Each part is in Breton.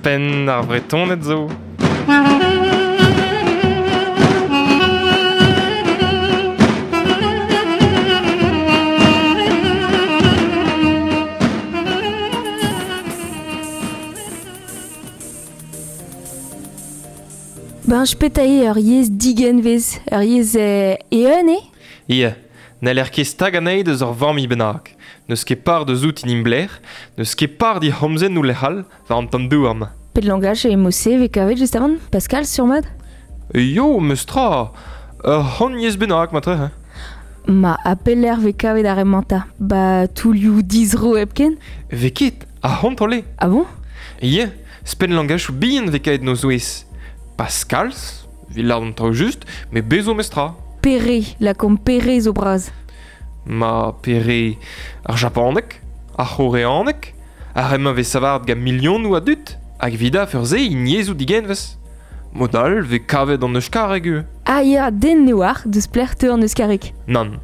Spenn ar Vretoned zo. Ben, petra eo ur yezh digenvez, ur yezh eeun eo? Ya, n'haller ket stagañ anezhi deus ur familh bennak. N'eus ket par deus outi Nimblec'h, n'eus ket par d'he c'homzennoù lec'h all war an tamm douar-mañ. Pet langaj e mod-se vez kavet just avant, Pascal, sur-mat? Yo, meus tra Ur c'hant yezh bennak, matre. Ma, ha pelec'h vez kavet ar re-mañ 'ta? Ba toullioù dizro hepken? Vez ket, ar c'hontrol eo. Ah bon? Ya, spenn langajoù bihan vez kavet 'n o zouez. Pas kalz, 'vit lâret an traoù just, met bez zo meus tra. Pere, lakaomp pere zo bras. Ma pere ar japaneg, ar c'horeaneg, ar re-mañ vez savaret gant milionoù a dud, hag evit afer-se int yezhoù digenvez. Mod all vez kavet an euskareg ivez. Ah ya, den ne oar deus pelec'h teu an euskareg. Nann.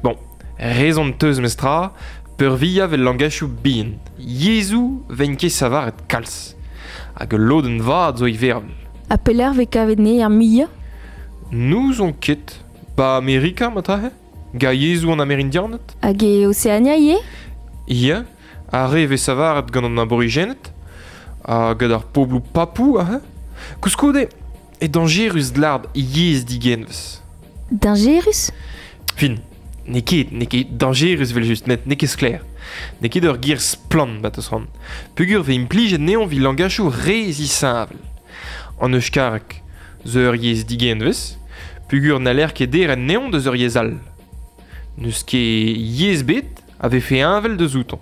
Bon, rezon teus mestra, peurvuiañ 'vel langachoù bihan. Yezhoù 'vegn ket savaret kalz. Hag ul lodenn vat zo ivervel. Ha pelec'h vez kavet ne ar muiañ? N'ouzon ket. Ba Amerika, matahe? Ga yezhoù an Amerindianed? Hag e Oseania ivez? Ya, ar re vez savaret gant an aborijened ha gant ar pobloù papou aze. Koulskoude eo dañjerus lâret yezh digenvez. Dañjerus? Fin, n'eo ket, n'eo ket dañjerus evel-just, met n'eo ket sklaer. N'eo ket ur ger splann, ma 'teus c'hoant. Peogwir 'vez implijet anezhañ evit langajoù re zisheñvel. An euskareg zo ur yezh digenvez, peogwir n'haller ket deren anezhañ deus ur yezh all. N'eus ket yezh ebet a vefe heñvel deus outañ.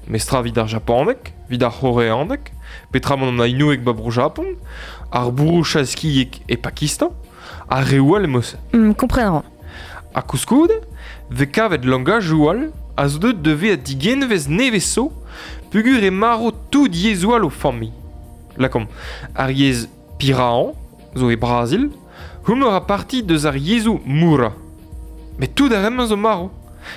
Mestra evit ar japaneg, evit ar c'horeaneg, peotramant an ainoueg 'ba Bro-Japon, ar bro-chaskieg e Pakistan, ha reoù all emañ-se. Kompren a ran. Ha koulskoude 'vez kavet langajoù all a zo deuet da vezañ digenvez nevez zo peogwir eo marv tout yezhoù all o familh. Lakaomp ar yezh Piraan zo e Brazil, homañ a ra parti deus ar yezhoù moura. Met tout ar re-mañ zo marv.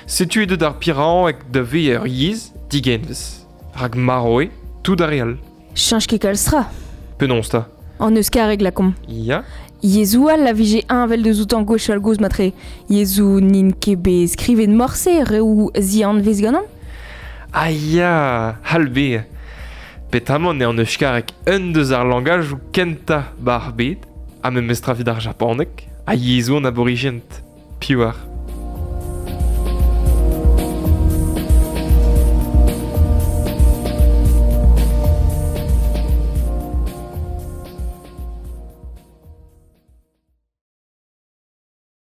Setu eo deuet ar pirañeg da vezañ ur yezh digenvez. Rak marv eo tout ar re all. Cheñch ket kalz tra. Penaos 'ta? An euskareg lakaomp. Ya. Yezhoù all a vije heñvel deus outañ gwechall-gozh matre. Yezhoù n'int ket bet skrivet morse, reoù zianvez ganeomp. Ah ya, c'hall bezañ. Petamant eo an euskareg un deus ar langajoù kentañ 'ba ar bed, ha memestra evit ar japaneg ha yezhoù an aborijent. Piv oar?